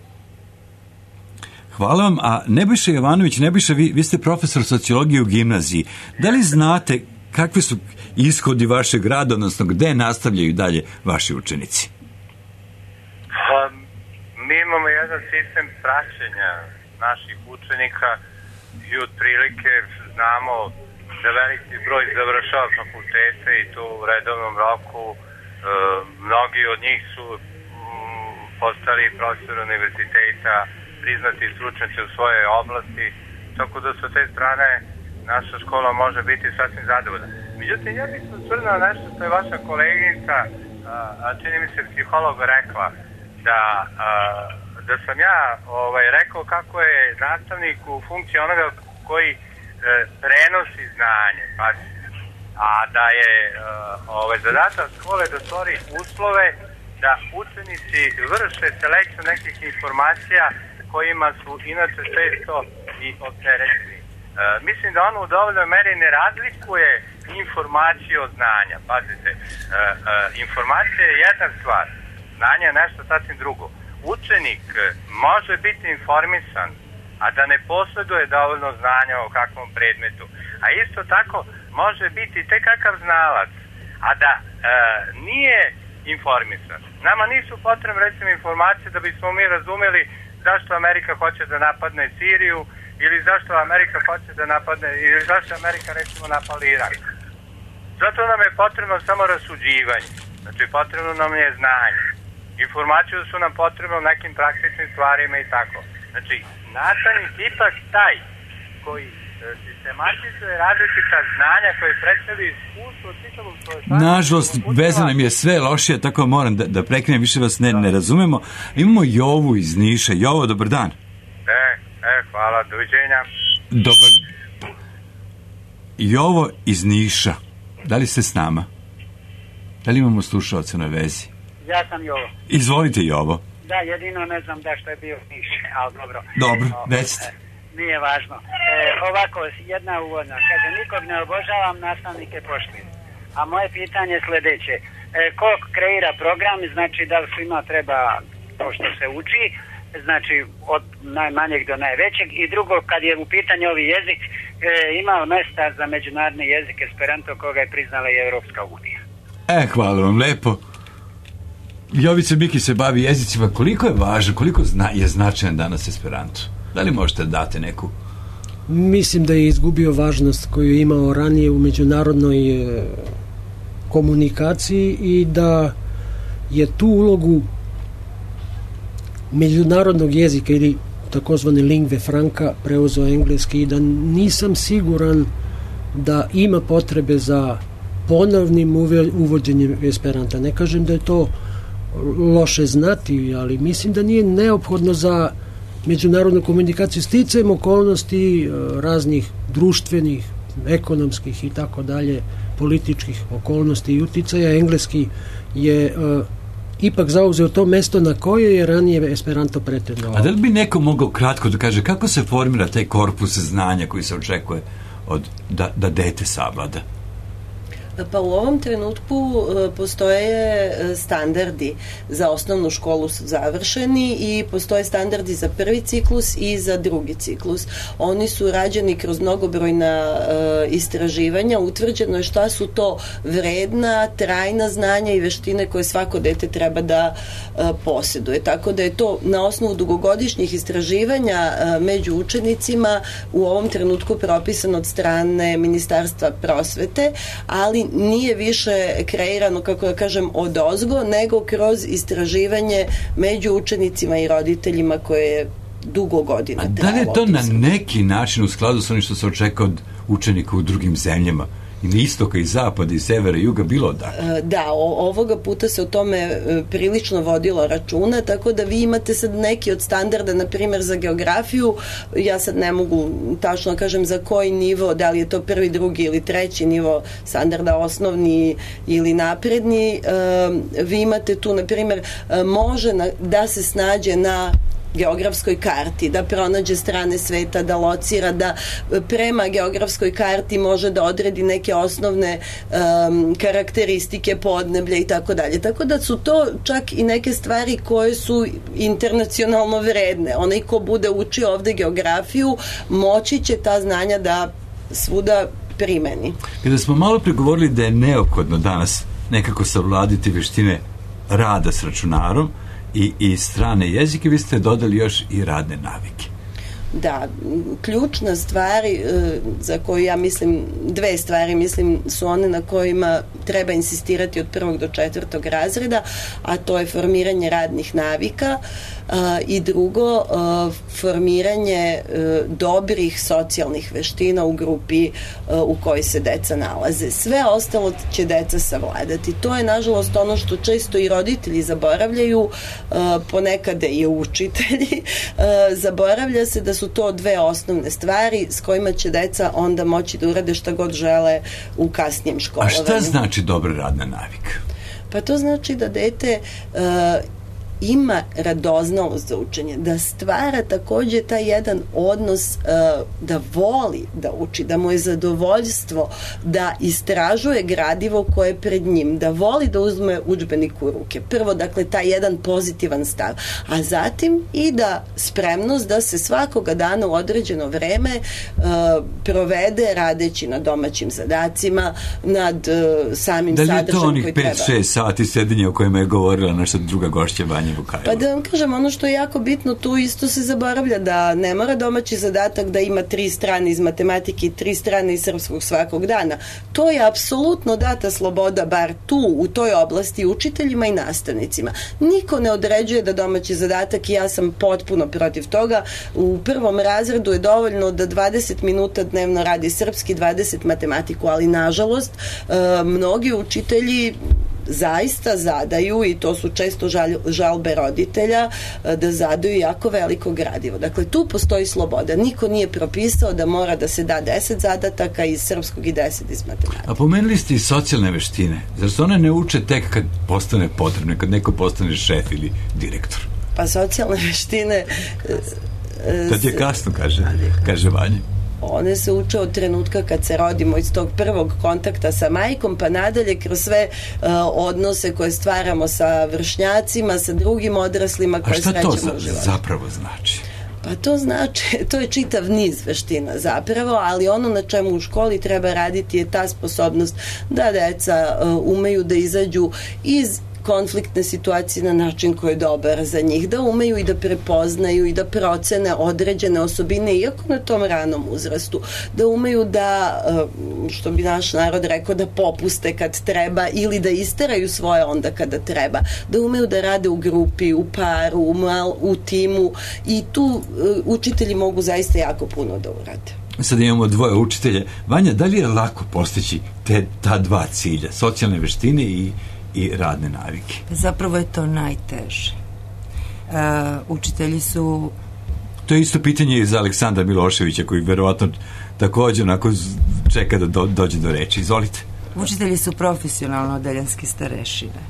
Hvala vam, a Nebojša Jovanović, Nebojša, vi ste profesor sociologije u gimnaziji. Da li znate kakvi su ishodi vašeg rada, odnosno gde nastavljaju dalje vaši učenici? Mi imamo jedan sistem praćenja naših učenika i otprilike znamo da veliki broj završava fakultete i to u redovnom roku. Mnogi od njih su postali profesori univerziteta, priznati stručnjaci u svojoj oblasti, tako da sa te strane naša škola može biti sasvim zadovoljna. Međutim, ja bih se osvrnuo nešto što je vaša koleginica, čini mi se psiholog, rekla, da sam ja rekao kako je nastavnik u funkciji onoga koji prenosi znanje, a da je zadatak škole da stvori uslove da učenici vrše selekciju nekih informacija kojima su inače često i opterećeni. Mislim da ono u dovoljnoj meri ne razlikuje informaciju od znanja. Pazite, informacija je jedna stvar, znanje je nešto sasvim drugo. Učenik može biti informisan, a da ne posjeduje dovoljno znanja o kakvom predmetu. A isto tako može biti tek kakav znalac, a da nije informisan. Nama nisu potrebne recimo informacije da bismo mi razumeli zašto Amerika hoće da napadne Siriju ili zašto Amerika hoće da napadne ili zašto Amerika recimo napali Irak. Zato nam je potrebno samo rasuđivanje. Znači potrebno nam je znanje. Informacije su nam potrebne u nekim praktičnim stvarima i tako. Znači nastavnik ipak taj koji sistematizuje različita znanja koje predstavljaju iskustvo od čitavog svoje... Nažalost, veza nam je sve lošija, tako moram da prekinem, više vas ne razumemo. Imamo Jovu iz Niša. Jovo, dobar dan. Hvala, doviđenja. Dobar. Jovo iz Niša. Da li ste s nama? Da li imamo slušalca na vezi? Ja sam Jovo. Izvolite, Jovo. Da, jedino ne znam da što je bio Niš, ali dobro. Dobro, recite. Nije važno. Ovako, jedna uvodna. Kaže, nikog ne obožavam, nastavnike poštujem. A moje pitanje je sljedeće. Ko kreira program, znači da li svima treba to što se uči, znači od najmanjeg do najvećeg, i drugo, kad je u pitanju ovi jezik, imao mesta za međunarodni jezik Esperanto koga je priznala i Evropska unija. Hvala vam lepo. Jovica Miki se bavi jezicima. Koliko je važno, koliko je značajan danas Esperanto? Da li možete dati neku? Mislim da je izgubio važnost koju je imao ranije u međunarodnoj komunikaciji i da je tu ulogu međunarodnog jezika ili takozvane lingve franca preuzeo engleski i da nisam siguran da ima potrebe za ponovnim uvođenjem Esperanta. Ne kažem da je to loše znati, ali mislim da nije neophodno za međunarodnu komunikaciju sticajem okolnosti raznih društvenih, ekonomskih i tako dalje, političkih okolnosti i uticaja. Engleski je ipak zauzeo to mesto na koje je ranije Esperanto pretendovao. A da li bi neko mogao kratko da kaže kako se formira taj korpus znanja koji se očekuje da dete savlada? Pa u ovom trenutku postoje standardi za osnovnu školu su završeni i postoje standardi za prvi ciklus i za drugi ciklus. Oni su rađeni kroz mnogobrojna istraživanja. Utvrđeno je šta su to vredna, trajna znanja i veštine koje svako dete treba da posjeduje. Tako da je to na osnovu dugogodišnjih istraživanja među učenicima u ovom trenutku propisano od strane Ministarstva prosvete, ali nije više kreirano, kako da kažem, odozgo, nego kroz istraživanje među učenicima i roditeljima koje je dugo godina trajalo. A da li je to na neki način u skladu sa onim što se očeka od učenika u drugim zemljama? ili istoka i zapada i severa i juga, bilo odakle. Da, ovoga puta se o tome prilično vodilo računa, tako da vi imate sad neki od standarda, na primjer za geografiju, ja sad ne mogu tačno kažem za koji nivo, da li je to prvi, drugi ili treći nivo standarda, osnovni ili napredni, vi imate tu, na primjer, može da se snađe na geografskoj karti, da pronađe strane sveta, da locira, da prema geografskoj karti može da odredi neke osnovne karakteristike podneblja i tako dalje. Tako da su to čak i neke stvari koje su internacionalno vredne. Onaj ko bude učio ovde geografiju, moći će ta znanja da svuda primeni. Kada smo malo pregovorili da je neophodno danas nekako savladiti veštine rada s računarom i strane jezike, vi ste dodali još i radne navike. Da, ključna stvar za koju ja mislim, dve stvari mislim su one na kojima treba insistirati od 1. do 4. razreda, a to je formiranje radnih navika i drugo, formiranje dobrih socijalnih veština u grupi u kojoj se deca nalaze. Sve ostalo će deca savladati. To je nažalost ono što često i roditelji zaboravljaju, ponekad i učitelji. Zaboravlja se da su to dve osnovne stvari s kojima će deca onda moći da urade šta god žele u kasnijem školovanju. A šta znači dobra radna navika? Pa to znači da dete ima radoznalost za učenje, da stvara takođe taj jedan odnos da voli da uči, da mu je zadovoljstvo da istražuje gradivo koje je pred njim, da voli da uzme udžbenik u ruke. Prvo, dakle, taj jedan pozitivan stav, a zatim i da spremnost da se svakoga dana u određeno vreme provede radeći na domaćim zadacima, nad samim sadržajem koji treba. Da li je to onih 5-6 sati sedenja o kojima je govorila naša druga gošća Vanja Vukajlova? Pa da vam kažem, ono što je jako bitno, tu isto se zaboravlja da ne mora domaći zadatak da ima 3 strane iz matematike i 3 strane iz srpskog svakog dana. To je apsolutno data sloboda, bar tu, u toj oblasti, učiteljima i nastavnicima. Niko ne određuje da domaći zadatak, i ja sam potpuno protiv toga, u 1. razredu je dovoljno da 20 minuta dnevno radi srpski, 20 matematiku, ali nažalost mnogi učitelji zaista zadaju, i to su često žalbe roditelja, da zadaju jako veliko gradivo. Dakle, tu postoji sloboda. Niko nije propisao da mora da se da 10 zadataka iz srpskog i 10 iz matematike. A pomenuli ste i socijalne veštine. Zar se one ne uče tek kad postane potrebno, kad neko postane šef ili direktor? Pa socijalne veštine... Tad je kasno, kaže Vanja. One se uče od trenutka kad se rodimo, iz tog prvog kontakta sa majkom, pa nadalje kroz sve odnose koje stvaramo sa vršnjacima, sa drugim odraslima koje srećemo u životu. A šta to zapravo znači? Pa to znači, to je čitav niz veština zapravo, ali ono na čemu u školi treba raditi je ta sposobnost da deca umeju da izađu iz konfliktne situacije na način koji je dobar za njih, da umeju i da prepoznaju i da procene određene osobine, iako na tom ranom uzrastu, da umeju da, što bi naš narod rekao, da popuste kad treba ili da isteraju svoje onda kada treba, da umeju da rade u grupi, u paru, u timu, i tu učitelji mogu zaista jako puno da urade. Sad imamo dvoje učitelje. Vanja, da li je lako postići ta dva cilja, socijalne veštine i radne navike? Zapravo je to najteže. Učitelji su... To je isto pitanje i za Aleksandra Miloševića, koji verovatno također onako čeka da dođe do reči. Izvolite. Učitelji su profesionalno odeljenske starešine.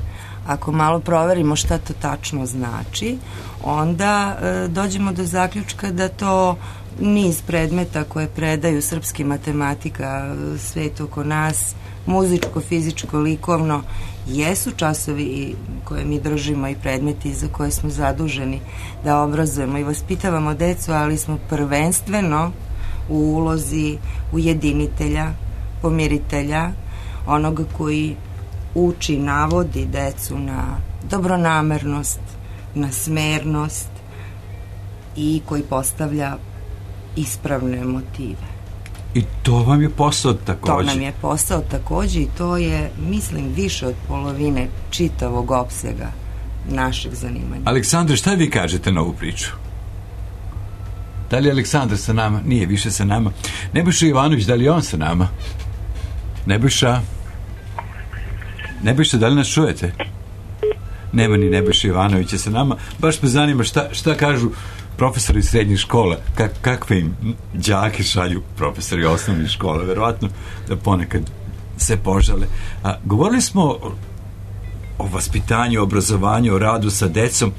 Ako malo proverimo šta to tačno znači, onda dođemo do zaključka da to niz predmeta koje predaju srpski, matematika, svet oko nas, muzičko, fizičko, likovno, jesu časovi koje mi držimo i predmeti za koje smo zaduženi da obrazujemo i vaspitavamo decu, ali smo prvenstveno u ulozi ujedinitelja, pomiritelja, onoga koji uči, navodi decu na dobronamernost, na smernost i koji postavlja ispravne motive. I to vam je posao takođe? To nam je posao takođe i to je, mislim, više od polovine čitavog opsega našeg zanimanja. Aleksandre, šta vi kažete na ovu priču? Da li je Aleksandar sa nama? Nije više sa nama. Nebojša Ivanović, da li je on sa nama? Nebojša, da li nas čujete? Nema ni Nebojša Ivanovića sa nama. Baš me zanima šta kažu profesori srednjih škola, kakve im đake šalju profesori osnovnih škola. Verovatno da ponekad se požale. Govorili smo o vaspitanju, obrazovanju, o radu sa decom.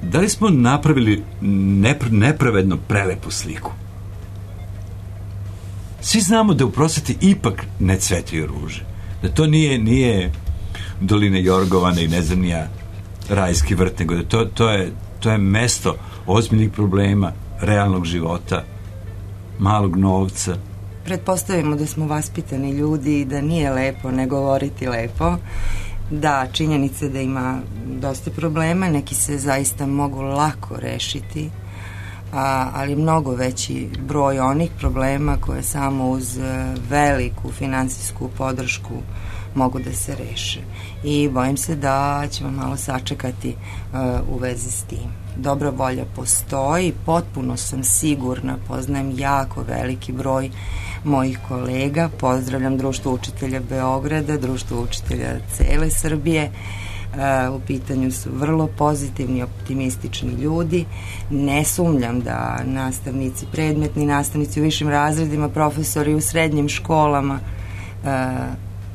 Da li smo napravili nepravedno prelepu sliku? Svi znamo da u prosveti ipak ne cvetaju ruže. Da to nije doline Jorgovane i ne znam nija rajski vrt, nego da to je mesto ozbiljnih problema, realnog života, malog novca. Pretpostavimo da smo vaspitani ljudi i da nije lepo ne govoriti lepo. Da, činjenica da ima dosta problema, neki se zaista mogu lako rešiti, ali mnogo veći broj onih problema koje samo uz veliku finansijsku podršku mogu da se reše. I bojim se da ćemo malo sačekati u vezi s tim. Dobra volja postoji, potpuno sam sigurna, poznajem jako veliki broj mojih kolega, pozdravljam Društvo učitelja Beograda, Društvo učitelja cele Srbije, u pitanju su vrlo pozitivni, optimistični ljudi. Ne sumnjam da nastavnici, predmetni nastavnici u višim razredima, profesori u srednjim školama,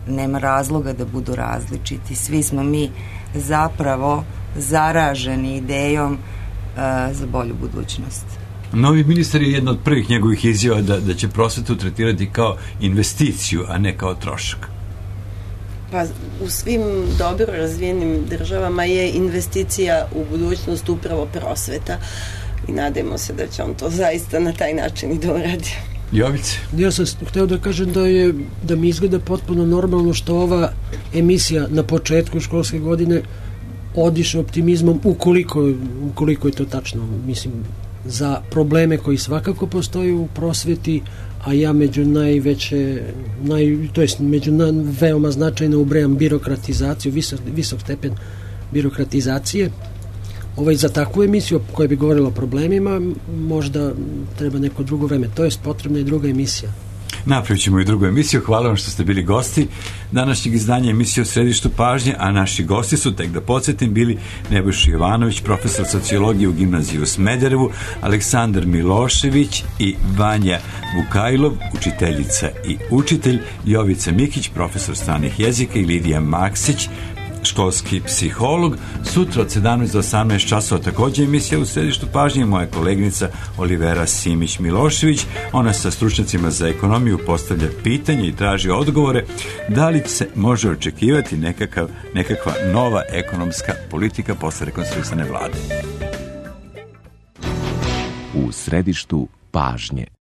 nema razloga da budu različiti. Svi smo mi zapravo zaraženi idejom za bolju budućnost. Novi ministar je jedna od prvih njegovih izjava da će prosvetu tretirati kao investiciju, a ne kao trošak. Pa u svim dobro razvijenim državama je investicija u budućnost upravo prosveta i nadajmo se da će on to zaista na taj način i da uradi. Jovice? Ja sam hteo da kažem da mi izgleda potpuno normalno što ova emisija na početku školske godine odiše optimizmom ukoliko je to tačno. Mislim, za probleme koji svakako postoje u prosveti, a ja među veoma značajno ubrajam birokratizaciju, visok stepen birokratizacije. Za takvu emisiju koja bi govorila o problemima možda treba neko drugo vreme. To je potrebna i druga emisija. Napravit ćemo i drugu emisiju. Hvala vam što ste bili gosti današnjeg izdanja emisije u središtu pažnje, a naši gosti su, tek da podsjetim, bili Nebojša Jovanović, profesor sociologije u gimnaziji u Smederevu, Aleksandar Milošević i Vanja Vukajlov, učiteljica i učitelj, Jovica Mikić, profesor stranih jezika i Lidija Maksić, školski psiholog. Sutra od 17 do 18 časova također emisija u središtu pažnje, moja koleginica Olivera Simić-Milošević. Ona sa stručnjacima za ekonomiju postavlja pitanje i traži odgovore da li se može očekivati nekakva nova ekonomska politika posle rekonstruisane vlade. U središtu pažnje.